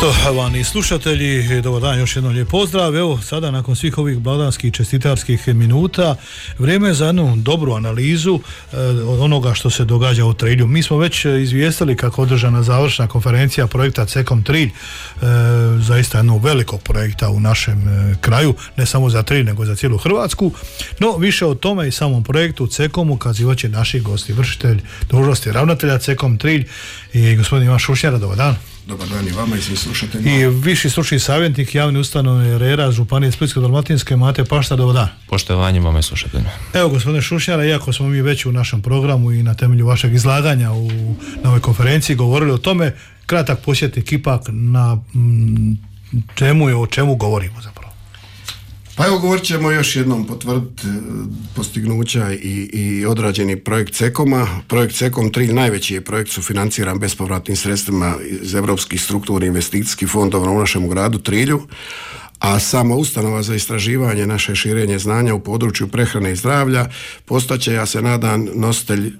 Poštovani slušatelji, dobar dan, još jednom lijep pozdrav. Evo sada nakon svih ovih blagdanskih čestitarskih minuta vrijeme je za jednu dobru analizu od onoga što se događa u Trilju. Mi smo već izvijestili kako održana završna konferencija projekta CEKOM Trilj, zaista jednog velikog projekta u našem kraju, ne samo za Trilj nego za cijelu Hrvatsku. No više o tome i samom projektu CEKOM-u kazivat će naši gosti, vršitelj dužnosti ravnatelja CEKOM Trilj i gospodin Ivan Šušnjara. Dobar dan. Dobar dan i vama i svim slušateljima. I viši stručni savjetnik javne ustanove RERA Županije Splitsko-dalmatinske Mate Paštar. Dobar dan. Poštovanje vama i slušateljima. Evo gospodine Šušnjara, iako smo mi već u našem programu i na temelju vašeg izlaganja na ovoj konferenciji govorili o tome, kratak posjetnik ipak na temu i o čemu govorimo zapravo. Pa evo, govorit ćemo još jednom potvrditi postignuća i odrađeni projekt CEKOM-a. Projekt CEKOM Trilj najveći je projekt sufinanciran bespovratnim sredstvima iz Europskih strukturnih investicijskih fondova u našem gradu Trilju, a sama ustanova za istraživanje naše širenje znanja u području prehrane i zdravlja postaće, ja se nadam, nositelj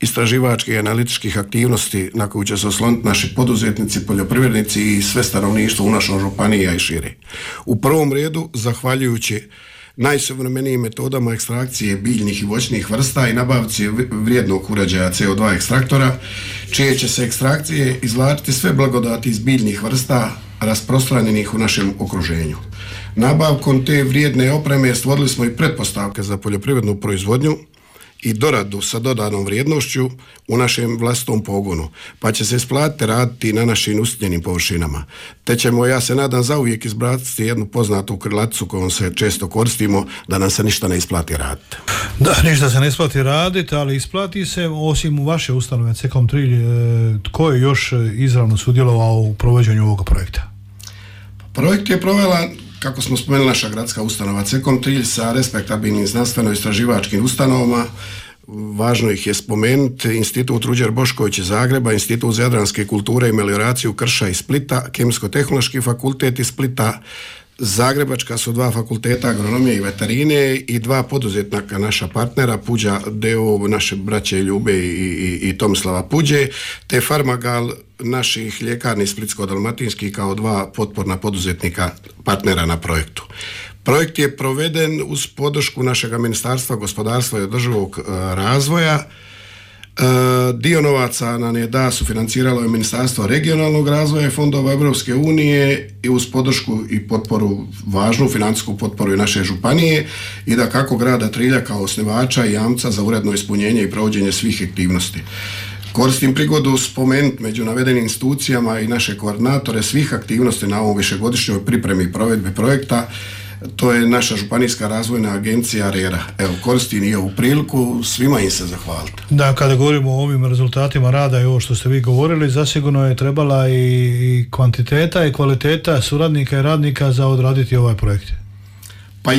istraživačkih i analitičkih aktivnosti na koju će se osloniti naši poduzetnici, poljoprivrednici i sve stanovništvo u našoj županiji, a i šire. U prvom redu, zahvaljujući najsuvremenijim metodama ekstrakcije biljnih i voćnih vrsta i nabavci vrijednog uređaja CO2 ekstraktora, čije će se ekstrakcije izvlačiti sve blagodati iz biljnih vrsta rasprostranjenih u našem okruženju. Nabavkom te vrijedne opreme stvorili smo i pretpostavke za poljoprivrednu proizvodnju i doradu sa dodanom vrijednošću u našem vlastitom pogonu, pa će se isplatiti raditi na našim usitnjenim površinama. Te ćemo, ja se nadam, zauvijek izbaciti jednu poznatu krilaticu kojom se često koristimo, da nam se ništa ne isplati raditi. Da, ništa se ne isplati raditi, ali isplati se, osim u vaše ustanove CEKOM Trilj, tko je još izravno sudjelovao u provođenju ovog projekta? Projekt je provela, kako smo spomenuli, naša gradska ustanova CEKOM Trilj sa respektabilnim znanstveno-istraživačkim ustanovama. Važno ih je spomenuti Institut Ruđer Bošković iz Zagreba, Institut za jadranske kulture i melioraciju Krša iz Splita, Kemijsko-tehnološki fakultet iz Splita, Zagrebačka su dva fakulteta agronomije i veterine i dva poduzetnika naša partnera, Puđa d.o.o. naše braće Ljube i Tomislava Puđe, te Farmagal naših ljekarni splitsko-dalmatinskih kao dva potporna poduzetnika partnera na projektu. Projekt je proveden uz podršku našega Ministarstva gospodarstva i održivog razvoja. Dio novaca nam je sufinanciralo je Ministarstvo regionalnog razvoja i fondova Europske unije i uz podršku i potporu, važnu financijsku potporu i naše županije i da kako grada Trilja kao osnivača i jamca za uredno ispunjenje i provođenje svih aktivnosti. Koristim prigodu spomenuti među navedenim institucijama i naše koordinatore svih aktivnosti na ovom višegodišnjoj pripremi i provedbi projekta. To je naša županijska razvojna agencija RERA. Evo, koristim i ovu priliku svima im se zahvaliti. Da, kada govorimo o ovim rezultatima rada i ovo što ste vi govorili, zasigurno je trebala i kvantiteta i kvaliteta suradnika i radnika za odraditi ovaj projekt. Pa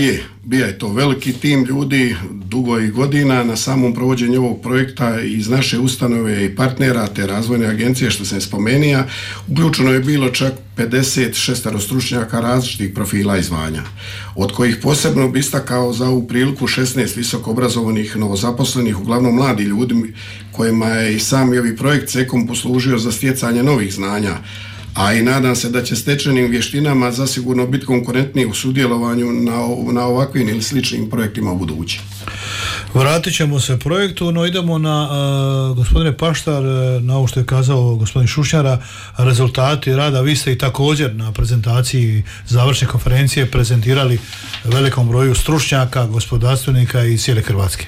bio je to veliki tim ljudi, dugo i godina na samom provođenju ovog projekta iz naše ustanove i partnera te razvojne agencije što sam spomenuo. Uključeno je bilo čak 56 stručnjaka različitih profila i zvanja, od kojih posebno bi istakao za ovu priliku 16 visoko obrazovanih novozaposlenih, uglavnom mladi ljudi kojima je i sam ovaj projekt CEKOM poslužio za stjecanje novih znanja, a i nadam se da će stečenim vještinama zasigurno biti konkurentniji u sudjelovanju na ovakvim ili sličnim projektima u budući. Vratit ćemo se projektu, no idemo na, gospodine Paštar, na ovo što je kazao gospodin Šušnjara, rezultati rada. Vi ste i također na prezentaciji završne konferencije prezentirali velikom broju stručnjaka, gospodarstvenika iz cijele Hrvatske,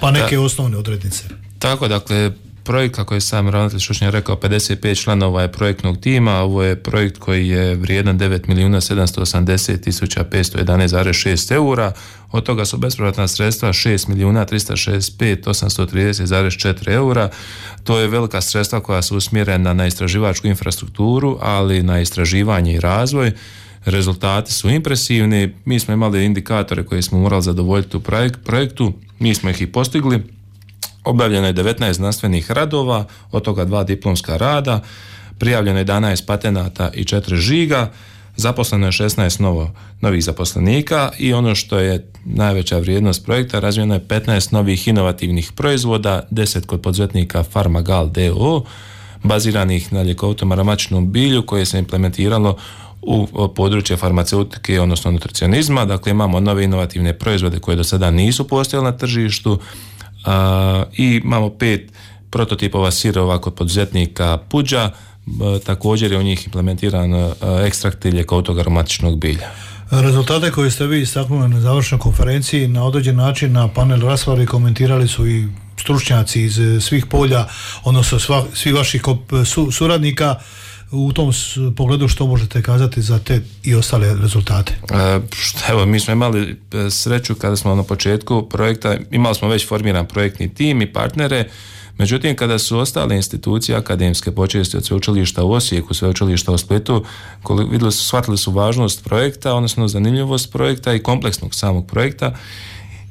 pa neke osnovne odrednice. Tako, dakle, projekt, kako je sam ravnatelj Šušnjar rekao, 55 članova je projektnog tima. Ovo je projekt koji je vrijedan 9.780.511,6 eura. Od toga su bespovratna sredstva 6.365.830,4 eura. To je velika sredstva koja su usmjerena na istraživačku infrastrukturu, ali na istraživanje i razvoj. Rezultati su impresivni. Mi smo imali indikatore koje smo morali zadovoljiti u projektu. Mi smo ih i postigli. Objavljeno je 19 znanstvenih radova, od toga 2 diplomska rada, prijavljeno je 11 patenata i 4 žiga, zaposleno je 16 novih zaposlenika i ono što je najveća vrijednost projekta, razvijeno je 15 novih inovativnih proizvoda, 10 kod poduzetnika Farmagal d.o.o., baziranih na ljekovitom aromatičnom bilju koje se implementiralo u područje farmaceutike, odnosno nutricionizma. Dakle, imamo nove inovativne proizvode koje do sada nisu postojale na tržištu i imamo 5 prototipova sirova kod poduzetnika Puđa. Također je u njih implementiran ekstrakt ljekovitog aromatičnog bilja. Rezultate koje ste vi istaknuli na završnoj konferenciji na određen način na panel raspravi komentirali su i stručnjaci iz svih polja, odnosno svih vaših suradnika. U tom pogledu što možete kazati za te i ostale rezultate? Evo, mi smo imali sreću kada smo na početku projekta, imali smo već formiran projektni tim i partnere. Međutim, kada su ostale institucije akademske, počevši od sveučilišta u Osijeku, sveučilišta u Splitu, shvatili su važnost projekta, odnosno zanimljivost projekta i kompleksnog samog projekta,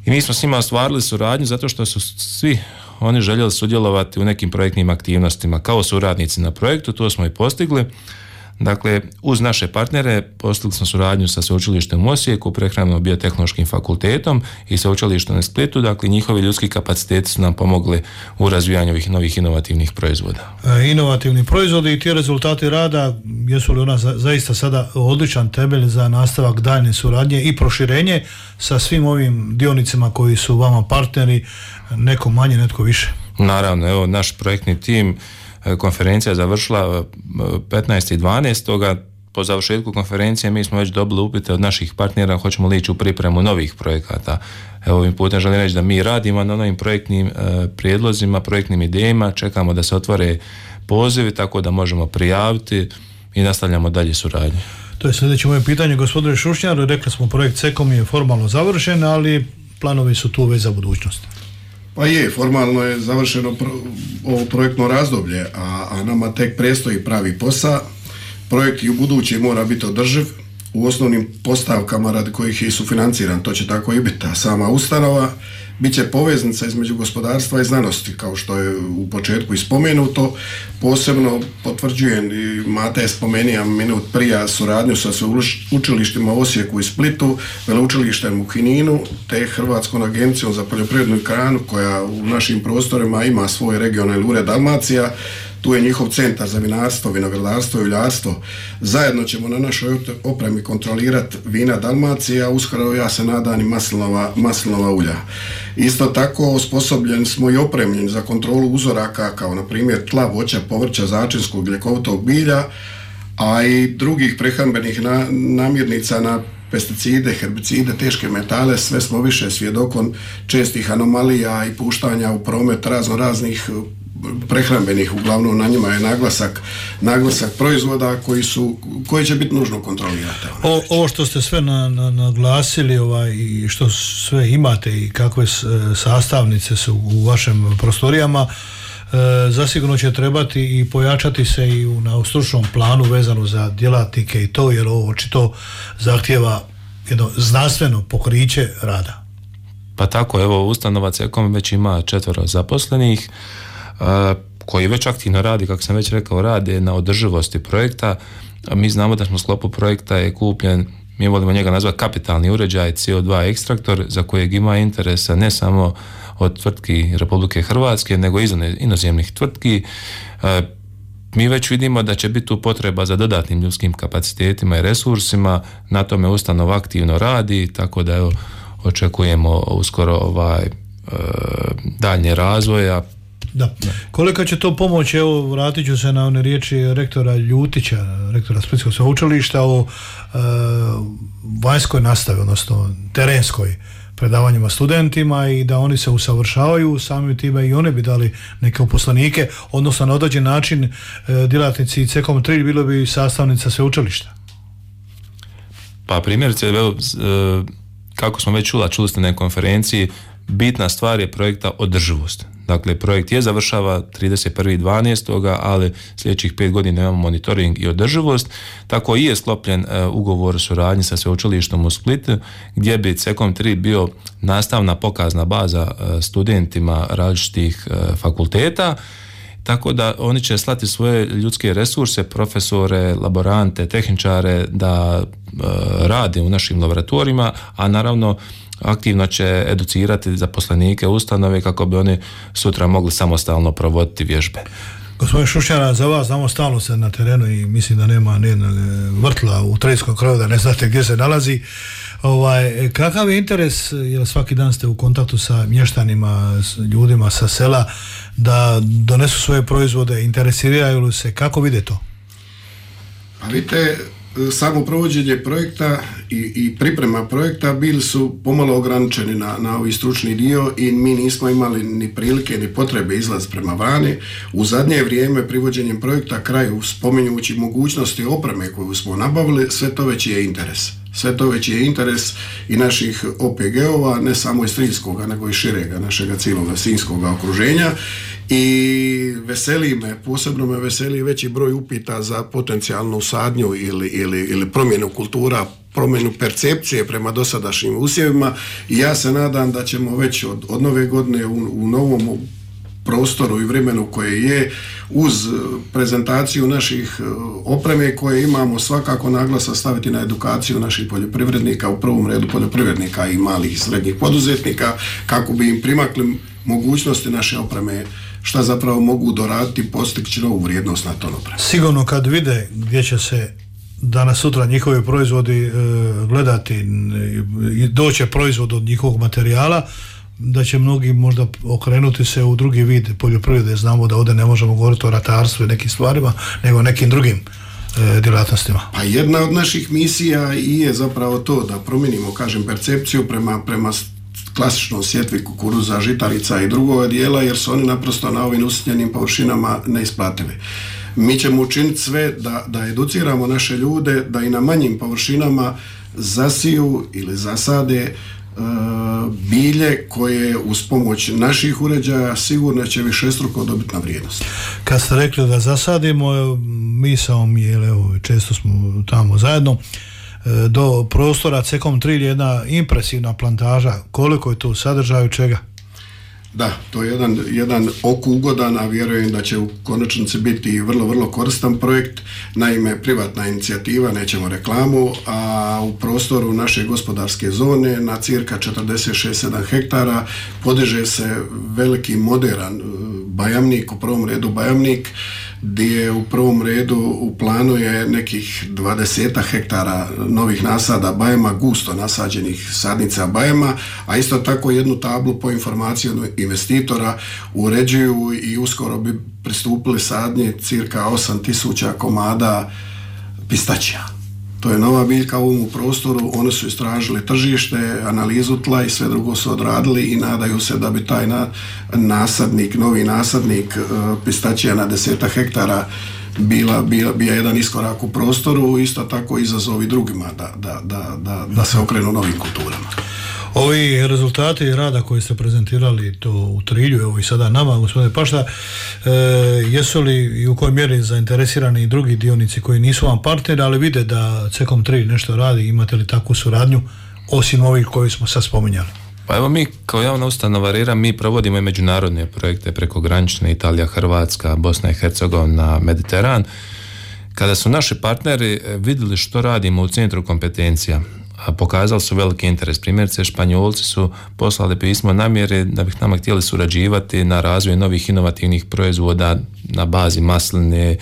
i mi smo s njima ostvarili suradnju zato što su svi oni željeli sudjelovati u nekim projektnim aktivnostima kao suradnici na projektu. To smo i postigli. Dakle, uz naše partnere postigli smo suradnju sa sveučilištem u Osijeku, prehrambeno-biotehnološkim fakultetom i sveučilištem u Splitu. Dakle, njihovi ljudski kapaciteti su nam pomogli u razvijanju ovih novih inovativnih proizvoda. Inovativni proizvodi i ti rezultati rada, jesu li ona zaista sada odličan temelj za nastavak daljnje suradnje i proširenje sa svim ovim dionicima koji su vama partneri, neko manje, netko više? Naravno, evo, naš projektni tim, konferencija je završila 15.12. Po završetku konferencije mi smo već dobili upite od naših partnera hoćemo li ići u pripremu novih projekata. Evo, ovim putem želim reći da mi radimo na novim projektnim prijedlozima, projektnim idejama, čekamo da se otvore pozivi tako da možemo prijaviti i nastavljamo dalje suradnju. To je sljedeće moje pitanje, gospodine Šušnjar. Rekli smo, projekt CECOM je formalno završen, ali planovi su tu već za budućnost. Pa je, formalno je završeno ovo projektno razdoblje, a nama tek predstoji pravi posao. Projekt i u buduće mora biti održiv u osnovnim postavkama radi kojih je i sufinanciran, to će tako i biti. A sama ustanova bit će poveznica između gospodarstva i znanosti, kao što je u početku i spomenuto. Posebno potvrđujem, i Mate je spomenio minut prije, suradnju sa sveučilištima u Osijeku i Splitu, veleučilištem u Kninu, te Hrvatskom agencijom za poljoprivrednu i hranu koja u našim prostorima ima svoj regionalni ured Dalmacija. Tu je njihov centar za vinarstvo, vinogradarstvo i uljarstvo. Zajedno ćemo na našoj opremi kontrolirati vina Dalmacije, a uskoro, ja se nadam, i maslinova ulja. Isto tako osposobljeni smo i opremljeni za kontrolu uzoraka kao na primjer tla, voća, povrća, začinskog, ljekovitog bilja, a i drugih prehrambenih namirnica na pesticide, herbicide, teške metale. Sve smo više svjedokom čestih anomalija i puštanja u promet raznih prehrambenih, uglavnom na njima je naglasak proizvoda koji će biti nužno kontrolirati. Ovo što ste sve naglasili i što sve imate i kakve sastavnice su u vašim prostorijama, zasigurno će trebati i pojačati se i na stručnom planu vezano za djelatnike i to, jer ovo očito zahtjeva jedno znanstveno pokriće rada. Pa tako, evo, ustanova CECOM već ima 4 zaposlenih koji već aktivno radi, kako sam već rekao, rade na održivosti projekta. Mi znamo da smo u sklopu projekta je kupljen, mi volimo njega nazvati kapitalni uređaj CO2 ekstraktor, za kojeg ima interesa ne samo od tvrtki Republike Hrvatske, nego i inozemnih tvrtki. Mi već vidimo da će biti tu potreba za dodatnim ljudskim kapacitetima i resursima, na tome ustanova aktivno radi, tako da evo, očekujemo uskoro daljnje razvoja. Da. Koliko će to pomoći, evo, vratit ću se na one riječi rektora Ljutića, rektora Splitskog sveučilišta o vanjskoj nastavi, odnosno terenskoj, predavanjima studentima, i da oni se usavršavaju, samim time i oni bi dali neke uposlenike, odnosno na određen način djelatnici CECOM 3 bilo bi sastavnica sveučilišta. Pa primjerice, kako smo već čuli ste na konferenciji, bitna stvar je projekta održivost. Dakle, projekt je završava 31.12., ali sljedećih 5 godina imamo monitoring i održivost. Tako i je sklopljen ugovor o suradnji sa sveučilištom u Splitu, gdje bi CECOM 3 bio nastavna pokazna baza studentima različitih fakulteta, tako da oni će slati svoje ljudske resurse, profesore, laborante, tehničare da rade u našim laboratorijima, a naravno aktivno će educirati zaposlenike ustanove kako bi oni sutra mogli samostalno provoditi vježbe. Gospodin Šušnjara, za vas znamo stalno se na terenu i mislim da nema nijednog vrtla u Triljskom kraju, da ne znate gdje se nalazi. Kakav je interes, jer svaki dan ste u kontaktu sa mještanima, s ljudima sa sela, da donesu svoje proizvode, interesiraju li se, kako vide to? Pa vidite, samo provođenje projekta i priprema projekta bili su pomalo ograničeni na ovaj stručni dio i mi nismo imali ni prilike ni potrebe izlaz prema vani. U zadnje vrijeme privođenjem projekta kraju, spominjući mogućnosti opreme koju smo nabavili, sve to već je interes. Sve to već je interes i naših OPG-ova, ne samo iz Triljskoga, nego i širega našega cijeloga sinjskoga okruženja. I veseli me, posebno me veseli veći broj upita za potencijalnu sadnju ili promjenu kultura, promjenu percepcije prema dosadašnjim usjevima i ja se nadam da ćemo već od nove godine u novom prostoru i vremenu koje je, uz prezentaciju naših opreme koje imamo, svakako naglasak staviti na edukaciju naših poljoprivrednika, u prvom redu poljoprivrednika i malih i srednjih poduzetnika, kako bi im primakli mogućnosti naše opreme, šta zapravo mogu doraditi i postići novu vrijednost na ton opreme. Sigurno kad vide gdje će se danas sutra njihovi proizvodi gledati i doće proizvod od njihovog materijala, da će mnogi možda okrenuti se u drugi vid poljoprivrede. Znamo da ovdje ne možemo govoriti o ratarstvu i nekim stvarima, nego o nekim drugim djelatnostima. Pa jedna od naših misija i je zapravo to da promijenimo, kažem, percepciju prema klasičnom sjetvi kukuruza, žitarica i drugog dijela, jer su oni naprosto na ovim usitnjenim površinama neisplativi. Mi ćemo učiniti sve da educiramo naše ljude da i na manjim površinama zasiju ili zasade bilje koje uz pomoć naših uređaja sigurno će višestruko dobiti na vrijednost. Kad ste rekli da zasadimo, misao mi je, često smo tamo zajedno, do prostora Cekom Trilj jedna impresivna plantaža. Koliko je to u sadržaju, čega? Da, to je jedan oku ugodan, a vjerujem da će u konačnici biti vrlo, vrlo koristan projekt. Naime, privatna inicijativa, nećemo reklamu, a u prostoru naše gospodarske zone na cirka 46-7 hektara podiže se veliki modern bajamnik, u prvom redu bajamnik, gdje u prvom redu u planu je nekih 20 hektara novih nasada bajama, gusto nasađenih sadnica bajama, a isto tako jednu tablu po informaciji investitora uređuju i uskoro bi pristupili sadnje cirka 8000 komada pistačija. To je nova biljka u ovom prostoru, oni su istražili tržište, analizu tla i sve drugo su odradili i nadaju se da bi taj novi nasadnik pistačija na 10 hektara bio jedan iskorak u prostoru, isto tako izazovi drugima da se okrenu novim kulturama. Ovi rezultati rada koji ste prezentirali to u Trilju, evo i sada nama, gospodine Pašta, jesu li i u kojoj mjeri zainteresirani i drugi dionici koji nisu vam partneri, ali vide da Cekom Trilj nešto radi, imate li takvu suradnju osim ovih koji smo sad spominjali? Pa evo, mi kao javna ustanova RERA mi provodimo i međunarodne projekte prekogranične, Italija, Hrvatska, Bosna i Hercegovina, Mediteran. Kada su naši partneri vidjeli što radimo u centru kompetencija, pokazali su veliki interes. Primjerice, Španjolci su poslali pismo namjere da bih nama htjeli surađivati na razvoju novih inovativnih proizvoda na bazi masline,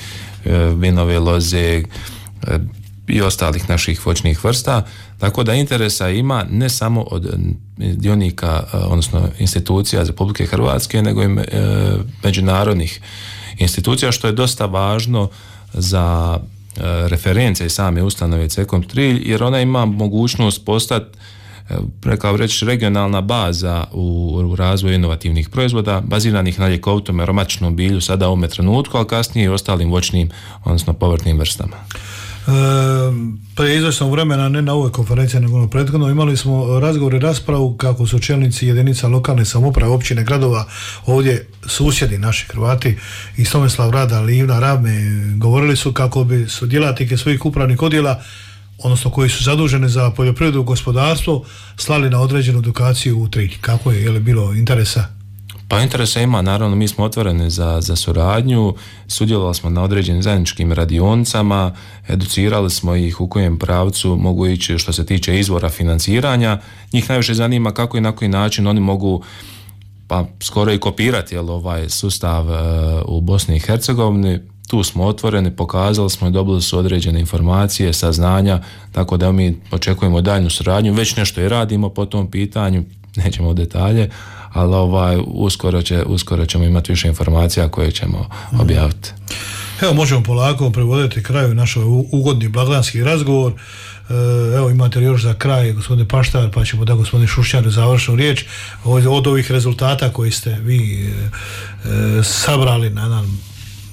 vinove loze i ostalih naših voćnih vrsta. Tako da interesa ima ne samo od dionika, odnosno institucija Republike Hrvatske, nego i međunarodnih institucija, što je dosta važno za reference same ustanove Cekom Trilj, jer ona ima mogućnost postati, rekao reći, regionalna baza u razvoju inovativnih proizvoda baziranih na ljekovitom aromatičnom bilju sada u ovome trenutku, ali kasnije i ostalim voćnim, odnosno povrtnim vrstama. Prije izvjesnog vremena, ne na ovoj konferenciji nego na prethodno, imali smo razgovor i raspravu kako su čelnici jedinica lokalne samouprave, općine, gradova, ovdje susjedi naši Hrvati iz Tomislav Rada, Livna, Ravme, govorili su kako bi su djelatnike svojih upravnih odjela, odnosno koji su zaduženi za poljoprivredu i gospodarstvo, slali na određenu edukaciju u Trilj. Kako je li bilo interesa? Pa interesa ima, naravno, mi smo otvoreni za suradnju, sudjelovali smo na određenim zajedničkim radionicama, educirali smo ih u kojem pravcu mogu ići što se tiče izvora financiranja. Njih najviše zanima kako i na koji način oni mogu pa skoro i kopirati ovaj sustav u Bosni i Hercegovini. Tu smo otvoreni, pokazali smo i dobili su određene informacije, saznanja, tako da mi očekujemo daljnju suradnju, već nešto i radimo po tom pitanju, nećemo u detalje, ali uskoro ćemo imati više informacija koje ćemo objaviti. Evo, možemo polako privoditi kraju naš ugodni blagdanski razgovor. Evo, imate još za kraj gospodine Paštar, pa ćemo da gospodin Šušnjar završnu riječ od ovih rezultata koji ste vi sabrali na jedan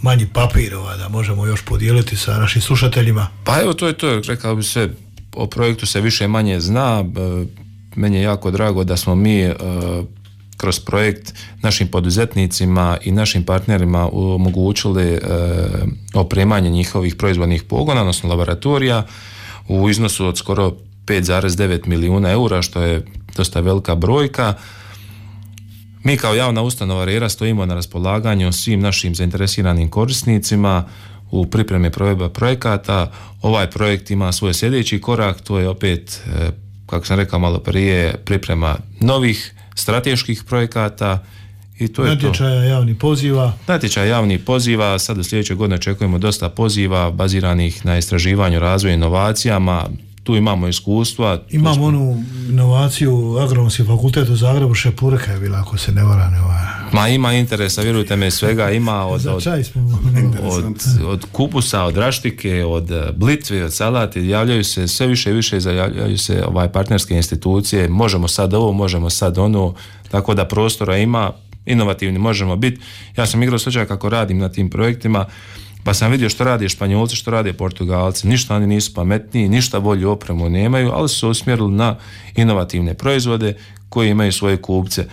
manji papir, da možemo još podijeliti sa našim slušateljima. Pa evo, to je to, rekao bi se, o projektu se više manje zna. Meni je jako drago da smo mi kroz projekt našim poduzetnicima i našim partnerima omogućili opremanje njihovih proizvodnih pogona, odnosno laboratorija, u iznosu od skoro 5,9 milijuna eura, što je dosta velika brojka. Mi kao javna ustanova RERA stojimo na raspolaganju svim našim zainteresiranim korisnicima u pripremi provedbe projekata. Ovaj projekt ima svoj sljedeći korak, to je opet, kako sam rekao malo prije, priprema novih strateških projekata i to je to. Natječaja javnih poziva, sad u sljedećoj godini očekujemo dosta poziva baziranih na istraživanju, razvoju, inovacijama. Tu imamo iskustva. Imamo onu inovaciju Agronomski fakultet u Zagrebu, Šepurka je bila, ako se ne varam. Ma ima interesa, vjerujte me, svega ima od kupusa, od raštike, od blitve, od salati, javljaju se sve više i više, javljaju se partnerske institucije, možemo sad ovo, možemo sad ono, tako da prostora ima, inovativni možemo biti. Ja sam igrao slučaj kako radim na tim projektima, pa sam vidio što rade Španjolci, što rade Portugalci, ništa oni nisu pametniji, ništa bolju opremu nemaju, ali su se usmjerili na inovativne proizvode koji imaju svoje kupce.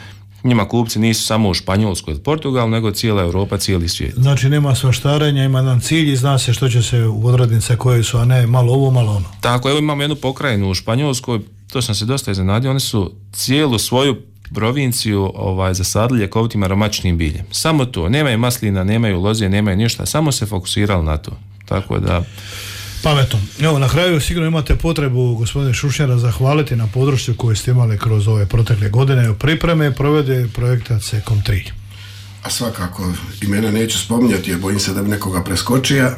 Njima kupci nisu samo u Španjolskoj ili Portugalu, nego cijela Europa, cijeli svijet. Znači nema svaštarenja, ima jedan cilj i zna se što će se u odrednice koje su, a ne malo ovo, malo ono. Tako, evo imamo jednu pokrajinu u Španjolskoj, to sam se dosta iznenadio, oni su cijelu svoju provinciju zasadili ljekovitim aromatičnim biljem. Samo to, nemaju maslina, nemaju loze, nemaju ništa, samo se fokusirali na to. Tako da... Pametno. Evo, na kraju sigurno imate potrebu, gospodine Šušnjara, zahvaliti na podršci koju ste imali kroz ove protekle godine u pripreme provede projekta CECOM 3. A svakako, imena neću spominjati jer bojim se da bi nekoga preskočio,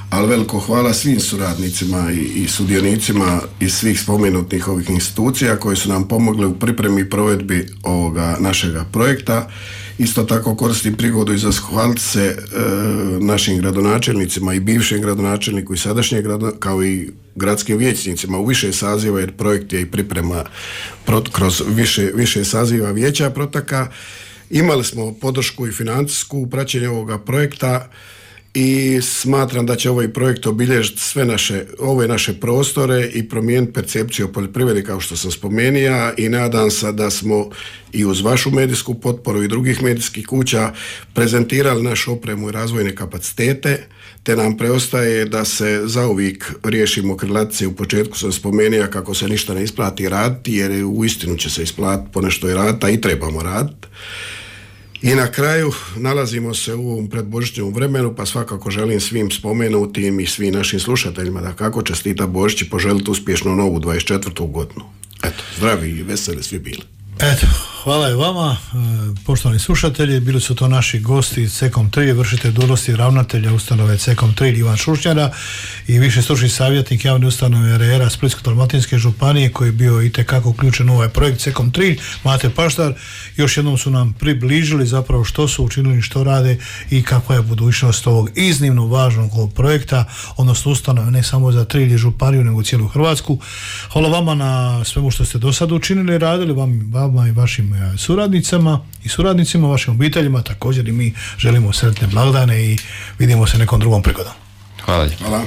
ali veliko hvala svim suradnicima i sudionicima iz svih spomenutih ovih institucija koji su nam pomogli u pripremi i provedbi ovoga našega projekta. Isto tako koristim prigodu i zahvaliti se našim gradonačelnicima i bivšem gradonačelniku i sadašnjeg kao i gradskim vijećnicima u više saziva, jer projekt je i priprema kroz više saziva vijeća protaka. Imali smo podršku i financijsku u praćenju ovoga projekta i smatram da će ovaj projekt obilježiti ove naše prostore i promijeniti percepciju o poljoprivredi, kao što sam spomenuo, i nadam se da smo i uz vašu medijsku potporu i drugih medijskih kuća prezentirali našu opremu i razvojne kapacitete, te nam preostaje da se zauvijek riješimo krilatice. U početku sam spomenuo kako se ništa ne isplati raditi, jer uistinu će se isplatiti ponešto i raditi, a i trebamo raditi. I na kraju nalazimo se u ovom predbožićnom vremenu, pa svakako želim svim spomenutim i svim našim slušateljima da kako čestita Božić i poželiti uspješnu novu 24. godinu. Eto, zdravi i veseli svi bili. Eto, hvala i vama, poštovani slušatelji, bili su to naši gosti CECOM 3, vršitelj dužnosti ravnatelja ustanove CECOM 3 Ivan Šušnjara i viši stručni savjetnik javne ustanove RERA Splitsko-dalmatinske županije koji je bio itekako uključen u ovaj projekt CECOM 3, Mate Paštar. Još jednom su nam približili zapravo što su učinili, što rade i kakva je budućnost ovog iznimno važnog projekta, odnosno ustanove ne samo za Trilj i županiju nego cijelu Hrvatsku. Hvala vama na svemu što ste do sada učinili i radili, vama i vašim suradnicama i suradnicima, vašim obiteljima, također i mi želimo sretne blagdane i vidimo se nekom drugom prigodom. Hvala. Hvala.